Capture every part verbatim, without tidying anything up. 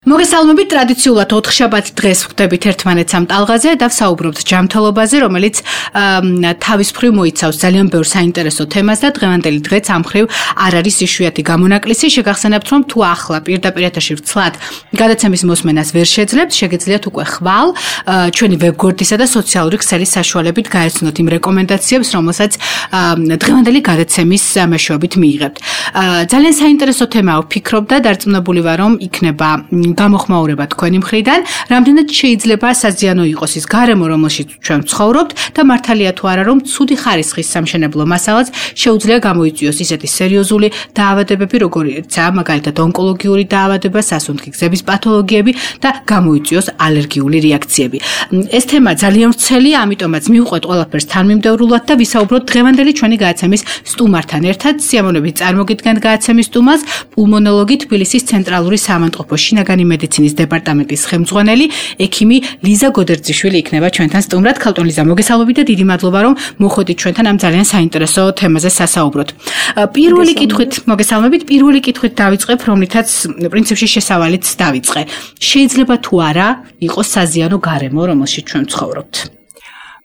მოგესალმებით, ტრადიციულად ოთხშაბათ დღეს ვხვდებით ერთმანეთს ამ ტალღაზე და ვსაუბრობთ ჯანმრთელობაზე, რომელიც თავის მხრივ მოიცავს ძალიან ბევრ საინტერესო თემას და დღევანდელი დღეც ამ მხრივ არ არის იშვიათი გამონაკლისი. შეგახსენებთ, რომ თუ ახლა პირდაპირ ეთერში ვცლად გადაცემის მოსმენას ვერ შეძლებთ, შეგიძლიათ უკვე ხვალ ჩვენი ვებგვერდისა და სოციალური ქსელის საშუალებით გაეცნოთ იმ რეკომენდაციებს, რომელსაც დღევანდელი გადაცემის მეშვეობით მიიღებთ. ძალიან საინტერესო თემაა ვფიქრობ და დარწმუნებული ვარ, რომ იქნება გამოხმაურება თქვენი მხრიდან, რამდენად შეიძლება საზიანო იყოს ის გარემო, რომელშიც ჩვენ ვცხოვრობთ და მართალია თუ არა, რომ ცუდი ხარისხის სამშენებლო მასალაც შეუძლია გამოიწვიოს ისეთი სერიოზული დაავადებები, როგორიცაა მაგალითად ონკოლოგიური დაავადება, სასუნთქი გზების პათოლოგიები და გამოიწვიოს ალერგიული რეაქციები. ეს თემა ძალიან ვრცელია, ამიტომაც მივყვეთ ყველაფერს თანმიმდევრულად და ვისაუბროთ დღევანდელი ჩვენი გადაცემის სტუმართან ერთად. სიამოვნებით წარმოგიდგენთ გადაცემის სტუმარს, პულმონოლოგი თბილისის ცენტრალური საავადმყოფო შინაგანი მედიცინის დეპარტამენტის ხელმძღვანელი, ექიმი ლიზა გოდერძიშვილი იქნება ჩვენთან სტუმრად. ქალბატონ ლიზა, მოგესალმებით და დიდი მადლობა, რომ მოხვედით ჩვენთან ამ ძალიან საინტერესო თემაზე სასაუბროთ. პირველი კითხვით, მოგესალმებით, პირველი კითხვით დავიწყებ, რომლითაც პრინციპში შესავალიც დავიწყე. შეიძლება თუ არა იყოს საზიანო გარემო, რომელშიც ჩვენ ვცხოვრობთ?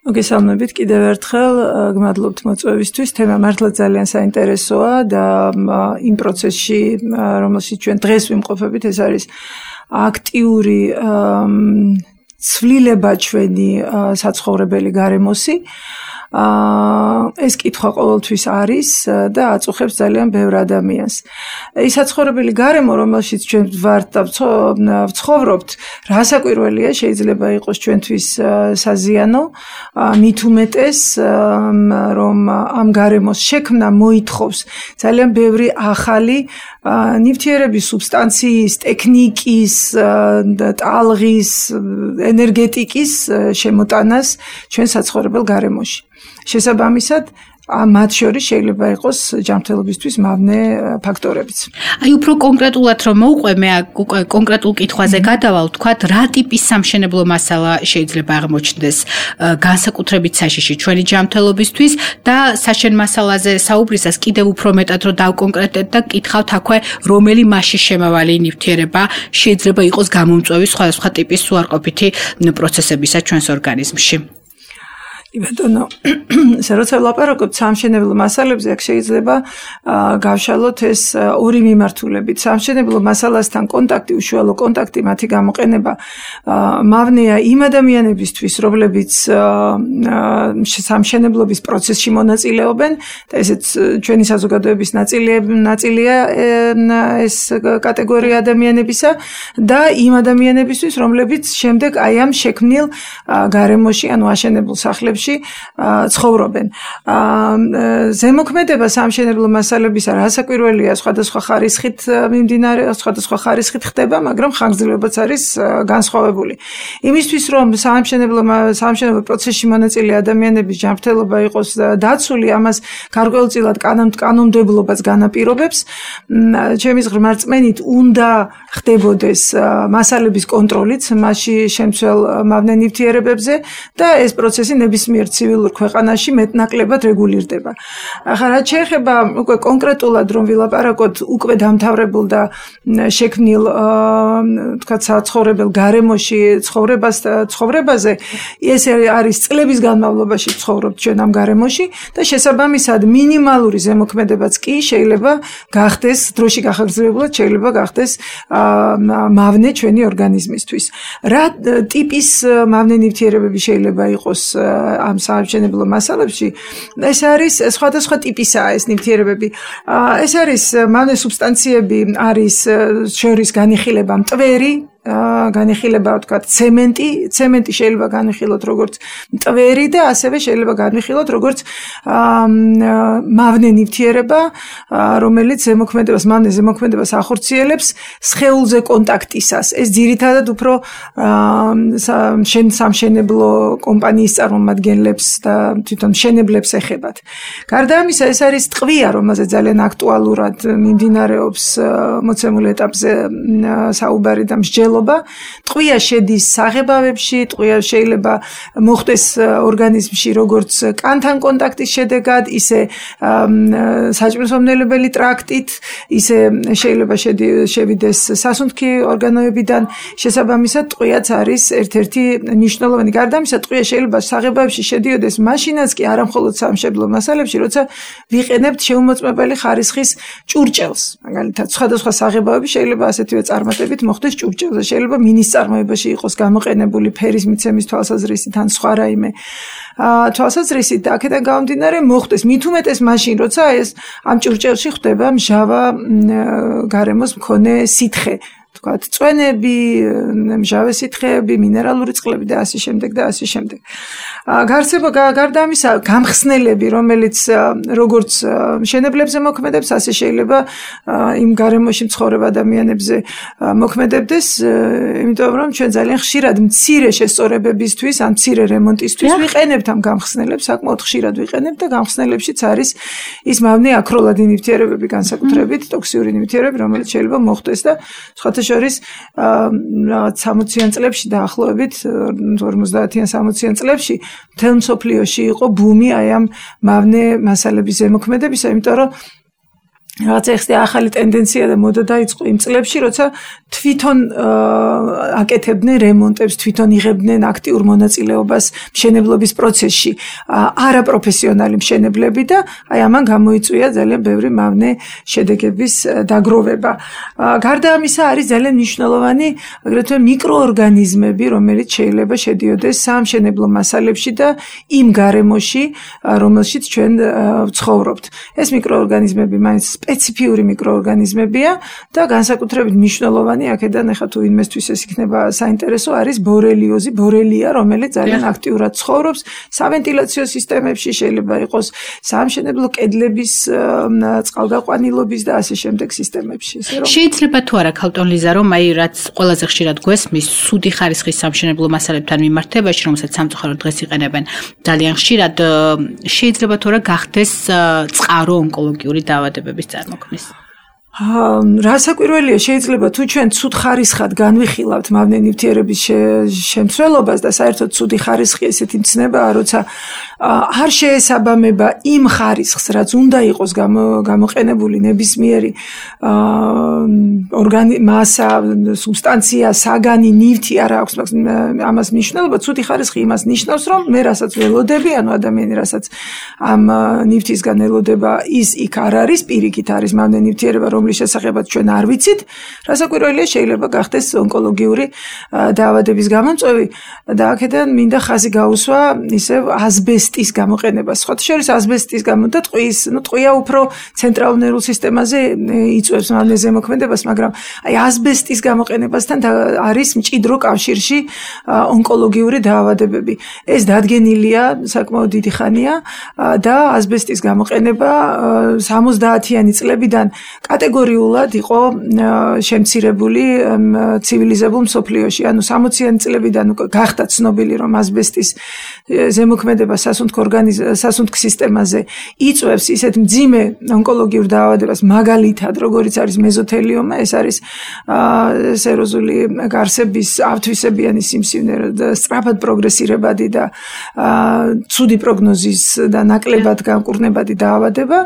მოგესალმებით კიდევ ერთხელ, გმადლობთ მოწვევისთვის. თემა მართლა ძალიან საინტერესოა და იმ პროცესში, რომელშიც ჩვენ დღეს ვიმყოფებით, ეს არის აქტიური ცვლილება ჩვენი საცხოვრებელი გარემოსი. ეს კითხვა ყოველთვის არის და აწუხებს ძალიან ბევრ ადამიანს. ის საცხოვრებელი გარემო, რომელშიც ჩვენ ვართ და ვცხოვრობთ, რასაკვირველია, შეიძლება იყოს ჩვენთვის საზიანო, მით უმეტეს, რომ ამ გარემოს შექმნა მოითხოვს ძალიან ბევრი ახალი ნივთიერების, სუბსტანციის, ტექნიკის, ტალღის, ენერგეტიკის შემოტანას ჩვენ საცხოვრებელ გარემოში. შესაბამისად, მათ შორის შეიძლება იყოს ჯანმრთელობისთვის მავნე ფაქტორებიც. აი, უფრო კონკრეტულად რომ მოვყვე, მე უკვე კონკრეტულ კითხვაზე გადავალ, ვთქვათ, რა ტიპის სამშენებლო მასალა შეიძლება აღმოჩნდეს განსაკუთრებით საშიში ჩვენი ჯანმრთელობისთვის და საშენ მასალაზე საუბრისას კიდევ უფრო მეტად რომ დავკონკრეტეთ და გკითხავთ აქვე, რომელი მასში შემავალი ნივთიერება შეიძლება იყოს გამომწვევი სხვადასხვა ტიპის უარყოფითი პროცესებისა ჩვენს ორგანიზმში. ბატონო, როცა ვლაპარაკობთ სამშენებლო მასალებზე, აქ შეიძლება გავშალოთ ეს ორი მიმართულებით. სამშენებლო მასალასთან კონტაქტი, უშუალო კონტაქტი, მათი გამოყენება მავნეა იმ ადამიანებისთვის, რომლებიც სამშენებლობის პროცესში მონაწილეობენ და ესეც ჩვენი საზოგადოების ნაწილია ეს კატეგორია ადამიანებისა და იმ ადამიანებისთვის, რომლებიც შემდეგ აი ამ შექმნილ გარემოში, ანუ აშენებულ სახლებში ცხოვრობენ. ზემოქმედება სამშენებლო მასალებისა რასაკვირველია, სხვადასხვა ხარისხით მიმდინარე, სხვადასხვა ხარისხით ხდება, მაგრამ ხანგრძლივობაც არის განსხვავებული. იმისთვის, რომ სამშენებლო სამშენებლო პროცესში მონაწილე ადამიანების ჯანმრთელობა იყოს დაცული, ამას გარკვეულწილად კანონმდებლობაც განაპირობებს. ჩემის ღრმარწმენით უნდა ხდებოდეს მასალების კონტროლიც მასში შემცველ მავნე ნივთიერებებზე და ეს პროცესი ნებისმიერ ცივილურ ქვეყანაში მეტნაკლებად რეგულირდება. ახლა რაც შეეხება უკვე კონკრეტულად რომ ვილაპარაკოთ უკვე დამთავრებულ და შექმნილ თქვა საცხოვრებელ გარემოში ცხოვრებას ცხოვრებაზე, ეს არის წლების განმავლობაში ცხოვრობთ ჩვენ ამ გარემოში და შესაბამისად მინიმალური ზემოქმედებაც კი შეიძლება გახდეს დროში გახანგრძლივებულად შეიძლება გახდეს მავნე ჩვენი ორგანიზმისთვის. რა ტიპის მავნე ნივთიერებები შეიძლება იყოს ამ სამშენებლო მასალებში? ეს არის სხვადასხვა ტიპისაა ეს ნივთიერებები. ეს არის მავნე სუბსტანციები, არის შორის განიხილება მტვერი, განიხილება თქვა ცემენტი, ცემენტი შეიძლება განიხილოთ როგორც მტვერი და ასევე შეიძლება განიხილოთ როგორც მავნე ნივთიერება, რომელიც ზემოქმედებას, მავნე ზემოქმედებას ახორციელებს სხეულზე კონტაქტისას. ეს ძირითადად უფრო სამშენებლო კომპანიის წარმომადგენლებს და თვითონ მშენებლებს ეხებათ. გარდა ამისა, ეს არის ტყვია, რომელზეც ძალიან აქტუალურად მიმდინარეობს მოცემულ ეტაპზე საუბარი და მსჯელობა მნიშვნელობა. ტყვია შედის საღებავებში, ტყვია შეიძლება მოხდეს ორგანიზმში როგორც კანთან კონტაქტის შედეგად, ისე საჭმელსომნელებელი ტრაქტით, ისე შეიძლება შევიდეს სასუნთქი ორგანოებიდან. შესაბამისად, ტყვიაც არის ერთ-ერთი მნიშვნელოვანი. გარდა ამისა, ტყვია შეიძლება საღებავებში შედიოდეს მაშინაც კი არა მხოლოდ სამშობლო მასალებში, როცა ვიყენებთ შეუმოწმებელი ხარისხის ჭურჭელს. მაგალითად, სხვადასხვა საღებავები შეიძლება ასეთივე წარმატებით მოხდეს ჭურჭელზე. შეიძლება მინის წარმოებაში იყოს გამოყენებული ფერის მიცემის თვალსაზრისით ან სხვა რაიმე თვალსაზრისით, აქედან გამომდინარე მოხდეს მით უმეტეს მაშინ, როცა ეს ამ ჭურჭელში ხდება მჟავა გარემოს მქონე სითხე. თქვათ, წვენები, მჟავე სითხეები, მინერალური წყლები და ასე შემდეგ და ასე შემდეგ. გარსება გარდა ამისა, გამხსნელები, რომელიც როგორც მშენებლებზე მოქმედებს, ასე შეიძლება იმ გარემოში მცხოვრებ ადამიანებზე მოქმედებდეს, იმიტომ რომ ჩვენ ძალიან ხშირად მცირე შესწორებებისთვის, ან მცირე რემონტისთვის ვიყენებთ ამ გამხსნელებს, საკმაოდ ხშირად ვიყენებთ და გამხსნელებშიც არის ის მავნე აქროლადი ნივთიერებები, განსაკუთრებით ტოქსიური ნივთიერებები, რომელიც შეიძლება მოხდეს და სხვათა შორის რაღაც სამოციან წლებში დაახლოებით ორმოცდაათიან სამოციან წლებში მთელ მსოფლიოში იყო ბუმი აი ამ მავნე მასალების ზემოქმედებისა, იმიტომ რომ რაღაც ახლა ახალი ტენდენცია და მოდა დაიწყო იმ წლებში, როცა თვითონ აკეთებდნენ რემონტებს, თვითონ იღებდნენ აქტიურ მონაწილეობას მშენებლობის პროცესში არაპროფესიონალი მშენებლები და აი ამან გამოიწვია ძალიან ბევრი მავნე შედეგების დაგროვება. გარდა ამისა არის ძალიან მნიშვნელოვანი აგრეთვე მიკროორგანიზმები, რომელიც შეიძლება შედიოდეს სამშენებლო მასალებში და იმ გარემოში, რომელშიც ჩვენ ვცხოვრობთ. ეს მიკროორგანიზმები მაინც სპეციფიური მიკროორგანიზმებია და განსაკუთრებით მნიშვნელოვანი აქედან ახლა თუ ინვესტვის ეს იქნება საინტერესო არის ბორელიოზი, ბორელია, რომელიც ძალიან აქტიურად ცხოვრობს სავენტილაციო სისტემებში, შეიძლება იყოს სამშენებლო კედლების წყალგაყვანილობის და ასე შემდეგ სისტემებში. შეიძლება თუ არა ქალტონ ლიზა, რომ აი რაც ყველაზე ხშირად გვესმის სუდი ხარისხის სამშენებლო მასალებთან მიმართებაში, რომელსაც სამწუხაროდ დღეს იყენებენ ძალიან ხშირად, შეიძლება თუ არა გახდეს წყარო ონკოლოგიური დაავადებების წარმოქმნის. რასაკვირველია, შეიძლება თუ ჩვენ ცუდ ხარისხად განვიხილავთ მავნე ნივთიერების შემცველობას და საერთოდ ცუდი ხარისხი ესეთი მცნებაა, როცა არ შეესაბამება იმ ხარისხს, რაც უნდა იყოს გამოყენებული ნებისმიერი ორგანი მასა, სუბსტანცია, საგანი, ნივთი არ აქვს ამას მნიშვნელობა. ცუდი ხარისხი იმას ნიშნავს, რომ მე რასაც ველოდები, ანუ ადამიანი რასაც ამ ნივთისგან ელოდება, ის იქ არ არის, პირიქით არის მავნე ნივთიერება, რომლის შესახებაც ჩვენ არ ვიცით. რასაკვირველია, შეიძლება გახდეს ონკოლოგიური დაავადების გამომწვევი და აქედან მინდა ხაზი გაუსვა ისევ ასბესტის გამოყენებას. სხვათა შორის ასბესტის გამო და ტყვის, ну ტყვია უფრო ცენტრალურ ნერვულ სისტემაზე იწვევს მავნე ზემოქმედებას, მაგრამ აი ასბესტის გამოყენებასთან არის მჭიდრო კავშირში ონკოლოგიური დაავადებები. ეს დადგენილია საკმაოდ დიდი ხანია და ასბესტის გამოყენება სამოცდაათიანი წლებიდან კატეგორიულად იყო შემცირებული ცივილიზებულ მსოფლიოში. ანუ სამოციანი წლებიდან გახდა ცნობილი, რომ ასბესტის ზემოქმედება სასუნთქ სასუნთქ სისტემაზე იწვევს ისეთ მძიმე ონკოლოგიურ დაავადებას, მაგალითად, როგორიც არის მეზოთელიომა, ეს არის სეროზული გარსების ავთვისებიანი სიმსივნე და სწრაფად პროგრესირებადი და ცუდი პროგნოზის და ნაკლებად განკურნებადი დაავადება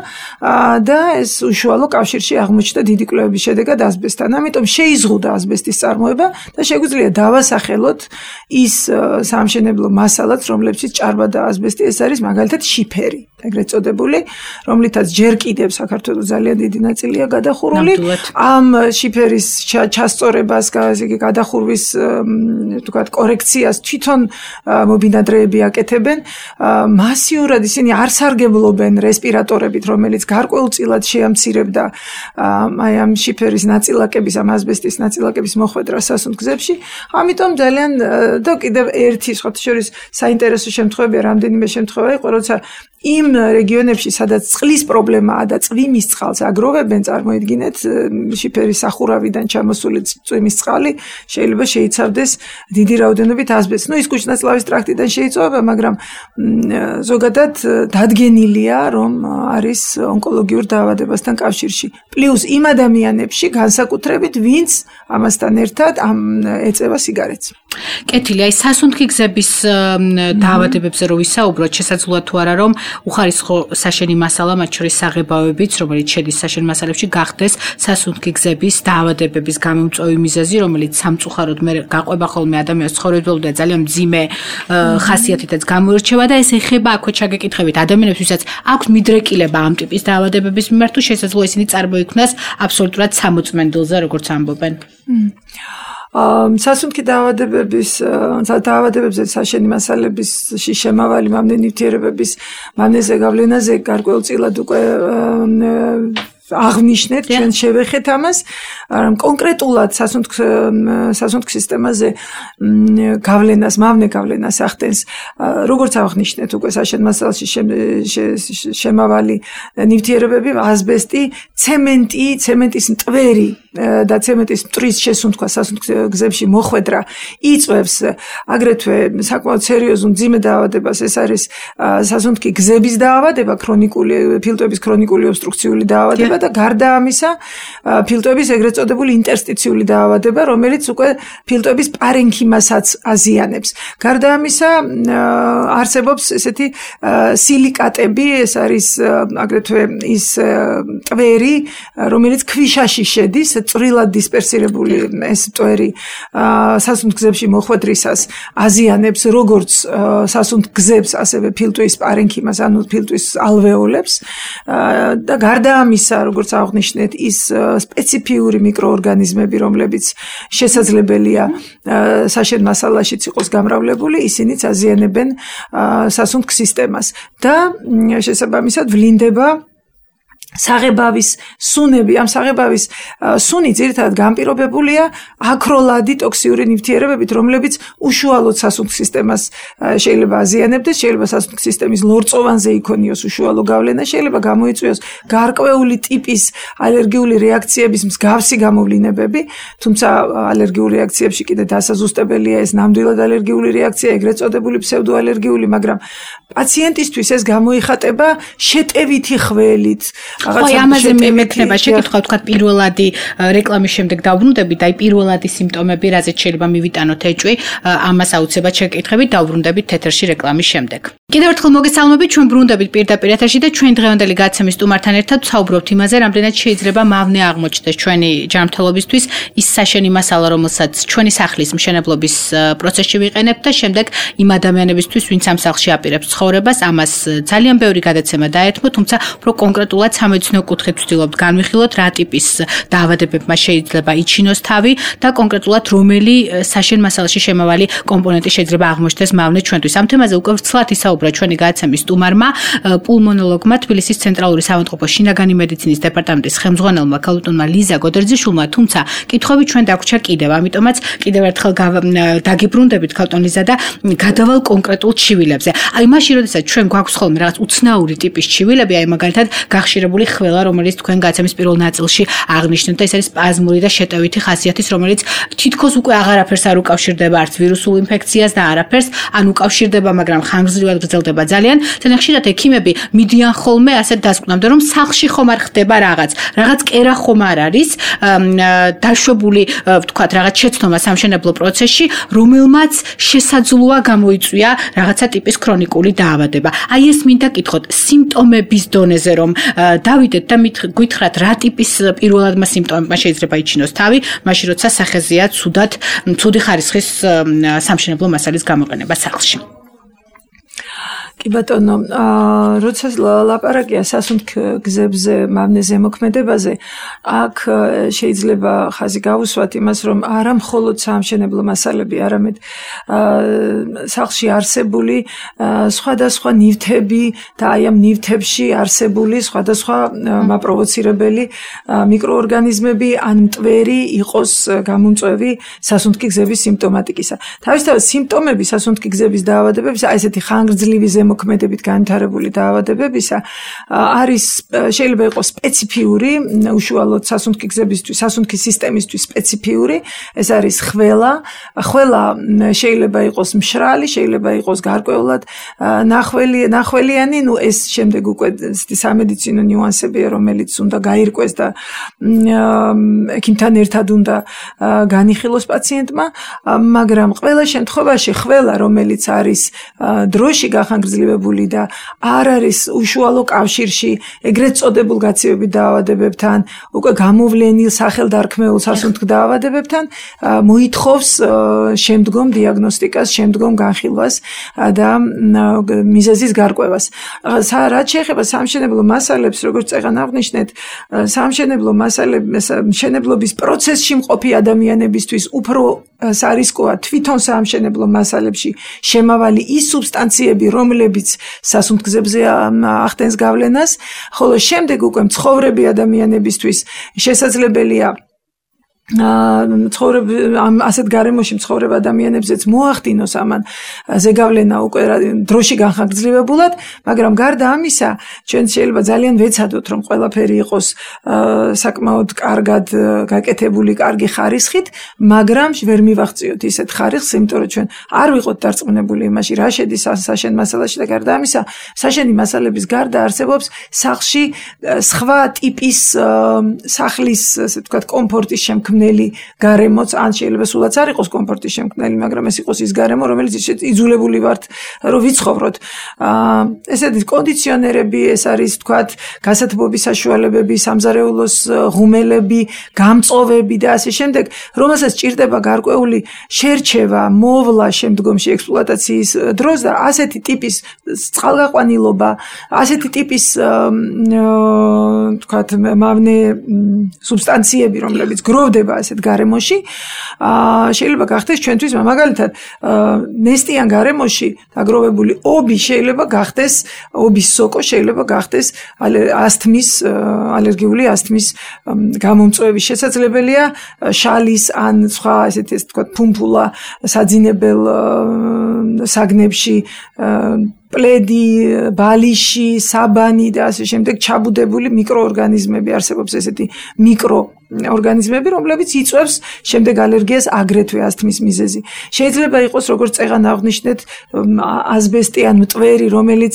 და ეს უშუალო კავშირში აღმოჩნდა დიდი კვლევების შედეგად ასბესტთან. ამიტომ შეიზღუდა ასბესტის წარმოება და შეგვიძლია დავასახელოთ ის სამშენებლო მასალაც, რომლებშიც ჭარბადა ასბესტი, ეს არის მაგალითად შიფერი, ეგრეთ წოდებული, რომლითაც ჯერ კიდევ საქართველოს ძალიან დიდი ნაწილია გადახურული. ამ შიფერის ჩასწორებას, გადახურვის თქვათ კორექციას თვითონ მობინადრეები აკეთებენ. მასიურად ისინი არ სარგებლობენ რესპირატორებით, რომელიც გარკვეულწილად შეამცირებდა აი ამ შიფერის ნაწილაკების, ამ ასბესტის ნაწილაკების მოხვედრას სასუნთქებში. ამიტომ ძალიან და კიდევ ერთი სხვათა შორის საინტერესო შემთხვევაა, რამდენიმე შემთხვევა იყო, როცა იმ რეგიონებში, სადაც წყლის პრობლემაა და წვიმის წყალს აგროვებენ, წარმოიდგინეთ, შიფერის სახურავიდან ჩამოსული წვიმის წყალი შეიძლება შეიცავდეს დიდი რაოდენობით ასბესტს. ნუ ის კუჩნაწლავის ტრაქტიდან შეიწოვება, მაგრამ ზოგადად დადგენილია, რომ არის ონკოლოგიურ დაავადებასთან კავშირში. პლუს იმ ადამიანებში განსაკუთრებით, ვინც ამასთან ერთად ამ ეწევა სიგარეტს. კეთილი, აი სასუნთქი გზების დაავადებებზე რო ვისაუბროთ, შესაძლოა თუ არა რომ უხარისხო საშენი მასალა, მათ შორის საღებავებიც, რომელიც შედის საშენ მასალებში, გახდეს სასუნთქი გზების დაავადებების გამომწვევი მიზეზი, რომელიც სამწუხაროდ მე გაყვება ხოლმე ადამიანის ცხოვრებისდროულად და ძალიან მძიმე ხასიათითაც გამოირჩევა და ეს ეხება აქვე ჩაგეკითხებით ადამიანებს, ვისაც აქვს მიდრეკილება ამ ტიპის დაავადებების მიმართ, თუ შესაძლოა ისინი წარმოიქმნას აბსოლუტურად სამოწმენდილზე, როგორც ამბობენ. სასუნთქი დაავადებების დაავადებებზე საშენი მასალების შემავალი მამნე ნივთიერებების მამნეზე გავლენაზე გარკვეულწილად უკვე აღნიშნეთ, ჩვენ შევეხეთ ამას, კონკრეტულად სასუნთქ სასუნთქ სისტემაზე გავლენას, მამნე გავლენას ახდენს, როგორც აღნიშნეთ უკვე საშენ მასალაში შემავალი ნივთიერებები, ასბესტი, ცემენტი, ცემენტის მტვერი და ცემენტის მტვრის შესუნთქვა სასუნთქ გზებში მოხვედრა იწვევს აგრეთვე საკმაოდ სერიოზულ მძიმე დაავადებას, ეს არის სასუნთქი გზების დაავადება, ქრონიკული ფილტვების ქრონიკული ობსტრუქციული დაავადება და გარდა ამისა ფილტვების ეგრეთ წოდებული ინტერსტიციული დაავადება, რომელიც უკვე ფილტვების პარენქიმასაც აზიანებს. გარდა ამისა არსებობს ესეთი სილიკატები, ეს არის აგრეთვე ის ტვერი, რომელიც ქვიშაში შედის, წვრილად დისპერსირებული ეს ტვერი სასუნთქ გზებში მოხვედრისას აზიანებს როგორც სასუნთქ გზებს, ასევე ფილტვის პარენქიმას, ანუ ფილტვის ალვეოლებს და გარდა ამისა, როგორც აღნიშნეთ, ის სპეციფიური მიკროორგანიზმები, რომლებიც შესაძლებელია საშენ მასალაშიც იყოს გამრავლებული, ისინიც აზიანებენ სასუნთქ სისტემას და შესაბამისად ვლინდება საღებავის სუნები. ამ საღებავის სუნი ძირითადად განპირობებულია აქროლადი ტოქსიური ნივთიერებებით, რომლებიც უშუალოდ სასუნთქ სისტემას შეიძლება აზიანებდეს, შეიძლება სასუნთქ სისტემის ლორწოვანზე იქონიოს უშუალო გავლენა, შეიძლება გამოიწვიოს გარკვეული ტიპის ალერგიული რეაქციების მსგავსი გამოვლინებები, თუმცა ალერგიულ რეაქციებში კიდე დასაზუსტებელია ეს ნამდვილად ალერგიული რეაქცია, ეგრეთ წოდებული ფსევდოალერგიული, მაგრამ პაციენტისთვის ეს გამოიხატება შეტევითი ხველით. ხო, ამაზე მექნება შეკითხვა, თქვა პირველადი რეკლამის შემდეგ დავბრუნდებით, აი პირველადი სიმპტომები, რაზეც შეიძლება მივიტანოთ ეჭვი, ამას აუცილებლად შეკითხებით, დავბრუნდებით ეთერში რეკლამის შემდეგ. კიდევ ერთხელ მოგესალმებით, ჩვენ ბრუნდებით პირდაპირ ეთერში და ჩვენ დღევანდელი გადაცემის სტუმართან ერთად ვსაუბრობთ იმაზე, რამდენად შეიძლება მავნე აღმოჩნდეს ჩვენი ჯანმრთელობისთვის ის საშენი მასალა, რომელსაც ჩვენი სახლის მშენებლობის პროცესში ვიყენებთ და შემდეგ იმ ადამიანებისთვის, ვინც ამ სახლში აპირებს ცხოვრებას, ამას ძალიან ბევრი გადაცემა დაეთმო, თუმცა უფრო კონკრეტულად სამედიცინო კუთხით ვცდილობთ განვიხილოთ, რა ტიპის დაავადებებმა შეიძლება იჩინოს თავი და კონკრეტულად რომელი საშენ მასალაში შემავალი კომპონენტი შეიძლება აღმოჩნდეს მავნე ჩვენთვის. ამ თემაზე უკვე ვრცლად ისაუბრა ჩვენი გადაცემის სტუმარმა, პულმონოლოგმა, თბილისის ცენტრალური საავადმყოფო შინაგანი მედიცინის დეპარტამენტის ხელმძღვანელმა ქალბატონმა ლიზა გოდერძიშვილმა, თუმცა კითხვები ჩვენ დაგვრჩა კიდევ, ამიტომაც კიდევ ერთხელ დაგიბრუნდებით ქალბატონ ლიზა და გადავალ კონკრეტულ ჩივილებზე. აი მაშინ, როდესაც ჩვენ გვაქვს ხოლმე რაღაც უცნაური ტიპის ჩივილები, აი მაგალითად გახშირებული ხველა, რომელიც თქვენ გადაცემის პირველ ნაწილში აღნიშნეთ და ეს არის სპაზმური და შეტევითი ხასიათის, რომელიც თითქოს უკვე აღარაფერს არ უკავშირდება არც ვირუსულ ინფექციას და არაფერს, ან უკავშირდება, მაგრამ ხანგრძლივად გრძელდება ძალიან. ძალიან ხშირად ექიმები მიდიან ხოლმე ასეთ დასკვნამდე, რომ სახლში ხომ არ ხდება რაღაც, რაღაც კერა ხომ არ არის დაშვებული, ვთქვათ, რაღაც შეცდომა სამშენებლო პროცესში, რომელმაც შესაძლოა გამოიწვია რაღაცა ტიპის ქრონიკული დაავადება. აი ეს მინდა კითხოთ, სიმპტომების დონეზე რომ დავიდეთ და გითხრათ რა ტიპის პირველადმა სიმპტომებმა შეიძლება იჩინოს თავი, მაშინ როცა სახეზეა ცუდად, ცუდი ხარისხის სამშენებლო მასალის გამოყენება სახლში. კი ბატონო, როცა ლაპარაკია სასუნთქ გზებზე, მავნე ზემოქმედებაზე, აქ შეიძლება ხაზი გავუსვათ იმას, რომ არა მხოლოდ სამშენებლო მასალები, არამედ სახლში არსებული სხვადასხვა ნივთები და აი ამ ნივთებში არსებული სხვადასხვა მაპროვოცირებელი მიკროორგანიზმები ან მტვერი იყოს გამომწვევი სასუნთქი გზების სიმპტომატიკისა. თავისთავად სიმპტომები სასუნთქი გზების დაავადებების, აი ესეთი ხანგრძლივი ზემოქმედებით განვითარებული დაავადებებისა არის შეიძლება იყოს სპეციფიური უშუალოდ სასუნთქი გზებისთვის, სასუნთქი სისტემისთვის სპეციფიური, ეს არის ხველა, ხველა შეიძლება იყოს მშრალი, შეიძლება იყოს გარკვეულად ნახველი, ნახველიანი, ну ეს შემდეგ უკვე სამედიცინო ნიუანსებია, რომელიც უნდა გაირკვეს და ექიმთან ერთად უნდა განიხილოს პაციენტმა, მაგრამ ყველა შემთხვევაში ხველა, რომელიც არის დროში გახანგრძლივებული და არ არის უშუალო კავშირში ეგრეთ წოდებულ გაცივებით დაავადებებთან, უკვე გამოვლენილ სახელდარქმეულ სასუნთქ დაავადებებთან, მოითხოვს შემდგომ დიაგნოსტიკას, შემდგომ განხილვას და მიზეზის გარკვევას. რაც შეეხება სამშენებლო მასალებს, როგორც წეგან აღნიშნეთ, სამშენებლო მასალების მშენებლობის პროცესში მყოფი ადამიანებისთვის უფრო სარისკოა თვითონ სამშენებლო მასალებში შემავალი ის სუბსტანციები, რომლებიც სასუნთქებზე ახდენს გავლენას, ხოლო შემდეგ უკვე მცხოვრები ადამიანებისთვის შესაძლებელია ცხოვრებ ამ ასეთ გარემოში მცხოვრებ ადამიანებზეც მოახდინოს ამან ზეგავლენა უკვე დროში განხანგრძლივებულად, მაგრამ გარდა ამისა, ჩვენ შეიძლება ძალიან ვეცადოთ, რომ ყველაფერი იყოს საკმაოდ კარგად გაკეთებული, კარგი ხარისხით, მაგრამ ვერ მივაღწიოთ ისეთ ხარისხს, იმიტომ რომ ჩვენ არ ვიყოთ დარწმუნებული იმაში, რა შედის საშენ მასალაში და გარდა ამისა, საშენი მასალების გარდა არსებობს სახლში სხვა ტიპის სახლის, ასე ვთქვათ, კომფორტის შემქმნელი გარემოც, ან შეიძლება სულაც არ იყოს კომფორტის შემქმნელი, მაგრამ ეს იყოს ის გარემო, რომელიც იძულებული ვართ, რომ ვიცხოვროთ. ესეთი კონდიციონერები, ეს არის, ვთქვათ, გასათბობის საშუალებები, სამზარეულოს ღუმელები, გამწოვები და ასე შემდეგ, რომელსაც ჭირდება გარკვეული შერჩევა, მოვლა შემდგომში ექსპლუატაციის დროს და ასეთი ტიპის წყალგაყვანილობა, ასეთი ტიპის, ვთქვათ, მავნე სუბსტანციები, რომლებიც გროვდება ასეთ გარემოში, შეიძლება გახდეს ჩვენთვის მაგალითად ნესტიან გარემოში დაგროვებული ობი შეიძლება გახდეს, ობის სოკო შეიძლება გახდეს ასთმის, ალერგიული ასთმის გამომწვევის შესაძლებელია, შალის ან სხვა ესეთი, ასე ვთქვათ, ფუმფულა საძინებელ საგნებში, პლედი, ბალიში, საბანი და ასე შემდეგ ჩაბუდებული მიკროორგანიზმები არსებობს, ესეთი მიკრო ორგანიზმები, რომლებიც იწვევს შემდეგ ალერგიას აგრეთვე ასთმის მიზეზი. შეიძლება იყოს, როგორც წეგან აღნიშნეთ, ასბესტი ან მტვერი, რომელიც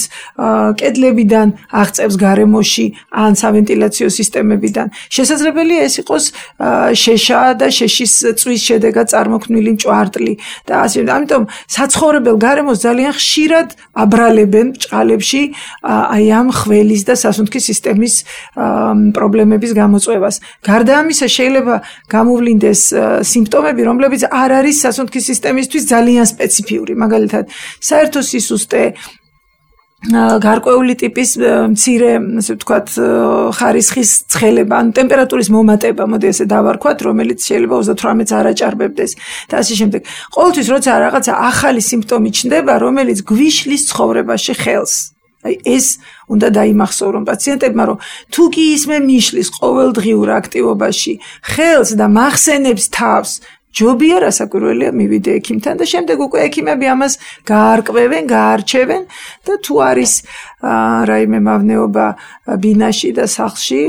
კედლებიდან აღწევს გარემოში ან სავენტილაციო სისტემებიდან. შესაძლებელია ეს იყოს შეშა და შეშის წვის შედეგად წარმოქმნილი მჭვარტლი და ასე. ამიტომ საცხოვრებელ გარემოს ძალიან ხშირად აბრალებენ ბჭყალებში აი ამ ხველის და სასუნთქის სისტემის პრობლემების გამოწვევას. გარდა ამისა შეიძლება გამოვლინდეს სიმპტომები, რომლებიც არ არის სასუნთქის სისტემისთვის ძალიან სპეციფიური. მაგალითად, საერთო სისუსტე, გარკვეული ტიპის მცირე, ასე ვთქვათ, ხარისხის ცხელება, ან ტემპერატურის მომატება, მოდი ესე დავარქვათ, რომელიც შეიძლება ოცდათვრამეტს არ აჭარბებდეს და ასე შემდეგ. ყოველთვის როცა რაღაცა ახალი სიმპტომი ჩნდება, რომელიც გვიშლის ცხოვრებაში ხელს. აი ეს უნდა დაიმახსოვრონ პაციენტებმა, რომ თუ კი ისმე მიშლის ყოველდღიურ აქტივობაში ხელს და მახსენებს თავს, ჯობია რასაკვირველია მივიდე ექიმთან და შემდეგ უკვე ექიმები ამას გაარკვევენ, გაარჩევენ და თუ არის რაიმე მავნეობა ბინაში და სახლში,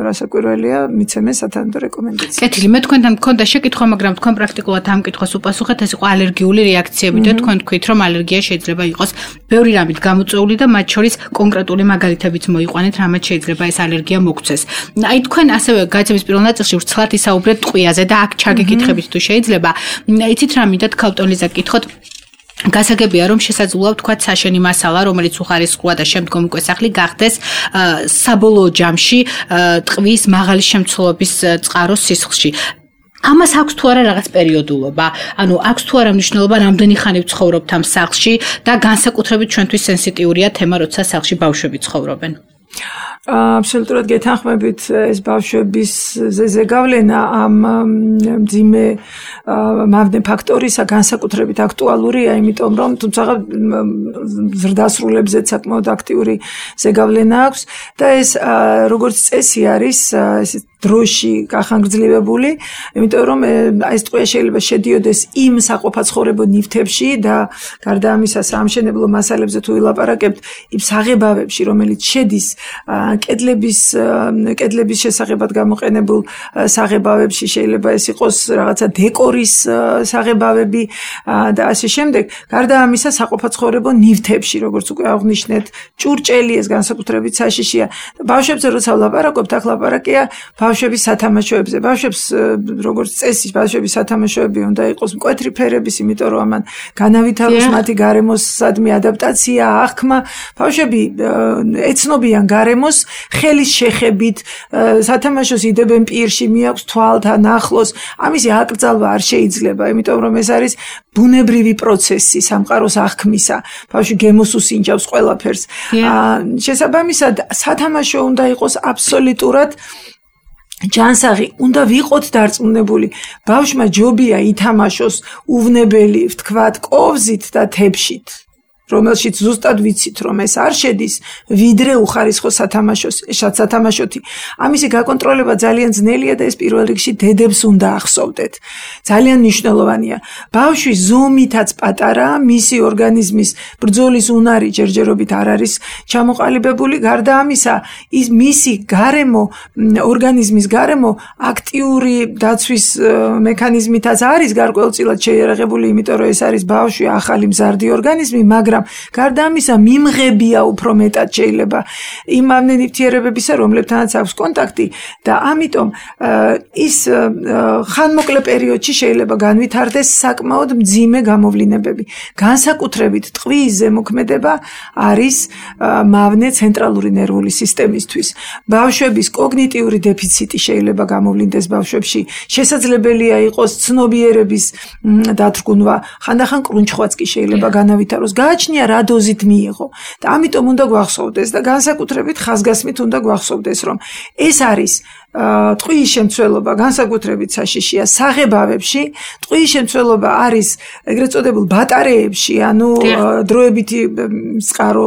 რასაკვირველია მიცემენ სათანადო რეკომენდაცია. კეთილი, მე თქვენთან მქონდა შეკითხვა, მაგრამ თქვენ პრაქტიკულად ამ კითხვას უპასუხეთ, ეს იყო ალერგიული რეაქციები და თქვენ თქვით, რომ ალერგია შეიძლება იყოს ბევრი რამით გამოწვეული და მათ შორის კონკრეტული მაგალითებიც მოიყვანეთ, რამაც შეიძლება ეს ალერგია მოგცეს. აი თქვენ ასევე გაიცემის პირველ ნაწილში ვრცლად ისაუბრეთ ტყვიაზე და აქ ჩაგეკითხებით თუ შეიძლება. იცით რა მინდათ ქალტონლიზა გკითხოთ? გასაგებია, რომ შესაძლოა ვთქვათ საშენი მასალა, რომელიც უხარისხოა და შემდგომ უკვე სახლი გახდეს საბოლოო ჯამში ტყვის მაღალი შემცველობის წყაროს სისხლში. ამას აქვს თუ არა რაღაც პერიოდულობა? ანუ აქვს თუ არა მნიშვნელობა, რამდენი ხანი ვცხოვრობთ ამ სახლში და განსაკუთრებით ჩვენთვის სენსიტიურია თემა, როცა სახლში ბავშვები ცხოვრობენ. აბსოლუტურად გეთანხმებით, ეს ბავშვების ზეგავლენა ამ მძიმე მავნე ფაქტორისა განსაკუთრებით აქტუალურია, იმიტომ რომ თუმცა ზრდასრულებზეც საკმაოდ აქტიური ზეგავლენა აქვს და ეს როგორც წესი არის, ეს დროში გახანგრძლივებული, იმიტომ რომ ეს ტყვია შეიძლება შედიოდეს იმ საყოფაცხოვრებო ნივთებში და გარდა ამისა საამშენებლო მასალებზე თუ ვილაპარაკებთ, იმ საღებავებში, რომელიც შედის კედლების კედლების შესაღებად გამოყენებულ საღებავებში, შეიძლება ეს იყოს რაღაცა დეკორის საღებავები და ასე შემდეგ. გარდა ამისა საყოფაცხოვრებო ნივთებში, როგორც უკვე აღნიშნეთ, ჭურჭელი ეს განსაკუთრებით საშიშია. ბავშვებზე როცა ვლაპარაკობთ, აქ ლაპარაკია ბავშვების სათამაშოებზე. ბავშვებს როგორც წესი, ბავშვების სათამაშოები უნდა იყოს მკვეთრი ფერების, იმიტომ რომ ამან განავითაროს მათი გარემოსადმი ადაპტაცია, აღქმა. ბავშვები ეცნობიან გარემოს ხელის შეხებით, სათამაშოს იდებენ პირში, მიაქვს თვალთან ახლოს. ამისი აკრძალვა არ შეიძლება, იმიტომ რომ ეს არის ბუნებრივი პროცესი სამყაროს აღქმისა. ბავშვი გემოს უსინჯავს ყველაფერს. შესაბამისად, სათამაშო უნდა იყოს აბსოლუტურად ჯანსაღი, უნდა ვიყოთ დარწმუნებული. ბავშვმა ჯობია ითამაშოს უვნებელი, ვთქვათ, კოვზით და თებშით, რომელშიც ზუსტად ვიცით, რომ ეს არ შედის, ვიდრე უხარისხო სათამაშოს, ეშად სათამაშოთი. ამისი გაკონტროლება ძალიან ძნელია და ეს პირველ რიგში დედებს უნდა ახსოვდეთ. ძალიან მნიშვნელოვანია. ბავშვის ზომითაც პატარა, მისი ორგანიზმის ბრძოლის უნარი ჯერჯერობით არ არის ჩამოყალიბებული. გარდა ამისა, ის მისი გარემო, ორგანიზმის გარემო აქტიური დაცვის მექანიზმითაც არის გარკვეულწილად შეიარაღებული, იმიტომ რომ ეს არის ბავშვი, ახალი მზარდი ორგანიზმი, მაგრამ გარდა ამისა მიმღებია უფრო მეტად შეიძლება იმ ნივთიერებებისა, რომლებთანაც აქვს კონტაქტი და ამიტომ ის ხანმოკლე პერიოდში შეიძლება განვითარდეს საკმაოდ მძიმე გამოვლინებები. განსაკუთრებით ტყვის ზემოქმედება არის მავნე ცენტრალური ნერვული სისტემისთვის. ბავშვების კოგნიტიური დეფიციტი შეიძლება გამოვლინდეს ბავშვებში. შესაძლებელია იყოს ცნობიერების დათრგუნვა, ხანდახან კრუნჩხვაც კი შეიძლება განავითაროს. გააჩნია რა დოზით მიიღო და ამიტომ უნდა გვახსოვდეს და განსაკუთრებით ხაზგასმით უნდა გვახსოვდეს, რომ ეს არის ტყვის შემცველობა განსაკუთრებით საშიშია საღებავებში. ტყვის შემცველობა არის ეგრეთ წოდებულ ბატარეებში, ანუ დროებითი წყარო,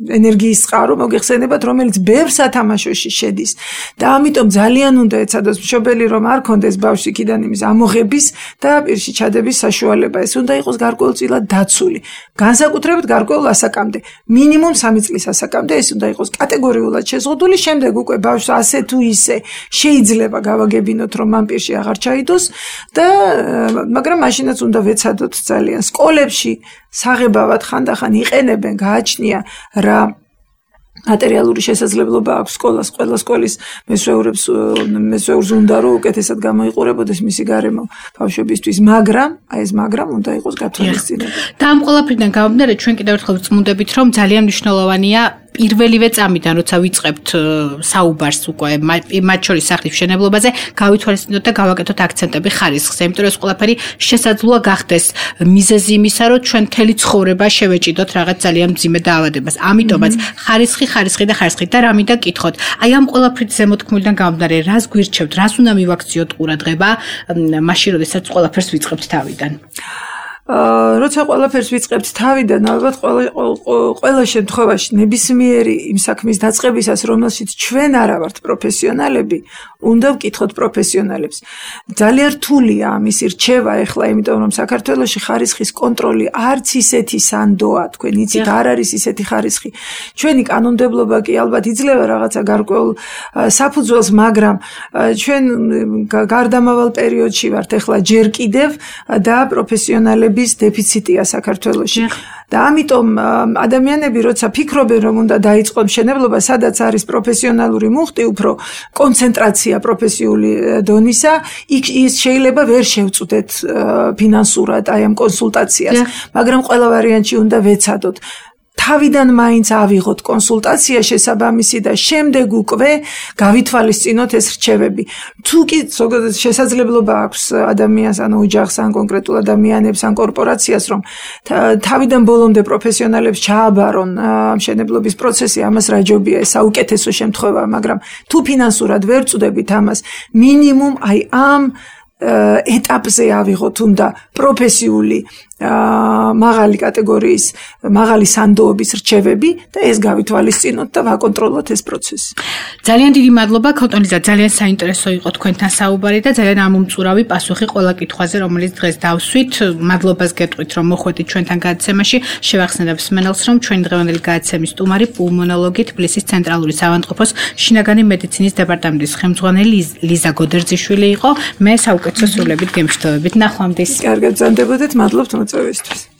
ენერგიის წყარო მოგეხსენებათ, რომელიც ბევრ სათამაშოში შედის და ამიტომ ძალიან უნდა ეცადოს მშობელი, რომ არ კონდეს ბავშვს იქიდან იმის ამოღების და პირში ჩადების საშუალება. ეს უნდა იყოს გარკვეულწილად დაცული. განსაკუთრებით გარკვეულ ასაკამდე, მინიმუმ სამი წლის ასაკამდე ეს უნდა იყოს კატეგორიულად შეზღუდული. შემდეგ უკვე ბავშვს ასე თუ ისე შეიძლება გავაგებინოთ, რომ ამ პირში აღარ ჩაიდოს და მაგრამ მაშინაც უნდა ვეცადოთ ძალიან. სკოლებში საღებავად ხანდახან იყენებენ, გააჩნია რა მატერიალური შესაძლებლობა აქვს სკოლას, ყველა სკოლის მესვეურებს მესვეურს უნდა რომ უკეთესად გამოიყურებოდეს მისი გარემო ბავშვებისთვის, მაგრამ აი ეს მაგრამ უნდა იყოს გათვალისწინებული. და ამ ყველაფრიდან გამომდინარე, ჩვენ კიდევ ერთხელ ვწმუნდებით, რომ ძალიან მნიშვნელოვანია პირველივე წამიდან, როცა ვიწყებთ საუბარს უკვე მათ შორის სახლის მშენებლობაზე, გავითვალისწინოთ და გავაკეთოთ აქცენტები ხარისხზე, იმიტომ რომ ეს ყველაფერი შესაძლოა გახდეს მიზეზი იმისა, რომ ჩვენ მთელი ცხოვრება შევეჭიდოთ რაღაც ძალიან მძიმე დაავადებას. ამიტომაც ხარისხი, ხარისხი და ხარისხი და რა მინდა გკითხოთ. აი ამ ყველაფრით ზემოთქმულიდან გამომდინარე, რას გვირჩევთ, რას უნდა მივაქციოთ ყურადღება, მაშინ როდესაც ყველაფერს ვიწყებთ თავიდან? როცა ყველაფერს ვიწყებთ თავიდან, ალბათ ყველა ყველა შემთხვევაში ნებისმიერი იმ საქმის დაწყებისას, რომელშიც ჩვენ არა ვართ პროფესიონალები, უნდა ვკითხოთ პროფესიონალებს. ძალიან რთულია ამისი რჩევა ეხლა, იმიტომ რომ საქართველოში ხარისხის კონტროლი არც ისეთი სანდოა, თქვენ იცით, არ არის ისეთი ხარისხი. ჩვენი კანონმდებლობა კი ალბათ იძლევა რაღაცა გარკვეულ საფუძველს, მაგრამ ჩვენ გარდამავალ პერიოდში ვართ ეხლა ჯერ კიდევ და პროფესიონალები დეფიციტია საქართველოში. და ამიტომ ადამიანები როცა ფიქრობენ, რომ უნდა დაიწყონ მშენებლობა, სადაც არის პროფესიონალური მუხტი, უფრო კონცენტრაცია პროფესიული დონისა, იქ ის შეიძლება ვერ შევწვდეთ ფინანსურად აი ამ კონსულტაციას, მაგრამ ყველა ვარიანტში უნდა ვეცადოთ. თავიდან მაინც ავიღოთ კონსულტაცია შესაბამისი და შემდეგ უკვე გავითვალისწინოთ ეს რჩევები. თუ კი ზოგადად შესაძლებლობა აქვს ადამიანს, ანუ ოჯახს, ან კონკრეტულ ადამიანებს, ან კორპორაციას, რომ თავიდან ბოლომდე პროფესიონალებს ჩააბარონ მშენებლობის პროცესი, ამას რა ჯობია, ეს საუკეთესო შემთხვევაა, მაგრამ თუ ფინანსურად ვერ წვდებით ამას, მინიმუმ აი ამ ეტაპზე ავიღოთ უნდა პროფესიული მაღალი კატეგორიის, მაღალი სანდოობის რჩევები და ეს გავითვალისწინოთ და ვაკონტროლოთ ეს პროცესი. ძალიან დიდი მადლობა ქოთონიძე, ძალიან საინტერესო იყო თქვენთან საუბარი და ძალიან ამომწურავი პასუხი ყველა კითხვაზე, რომელიც დღეს დავსვით. მადლობას გეტყვით, რომ მოხვედით ჩვენთან გადაცემაში. შევახსენებ მსმენელს, რომ ჩვენი დღევანდელი გადაცემის სტუმარი პულმონოლოგი თბილისის ცენტრალური საავადმყოფოს შინაგანი მედიცინის დეპარტამენტის ხელმძღვანელი ლიზა გოდერძიშვილი იყო. მე საუკეთესო სრულებით გემშვიდობებით. ნახვამდის. კარგად, ზანდებოდეთ, მადლობთ მოწვევისთვის.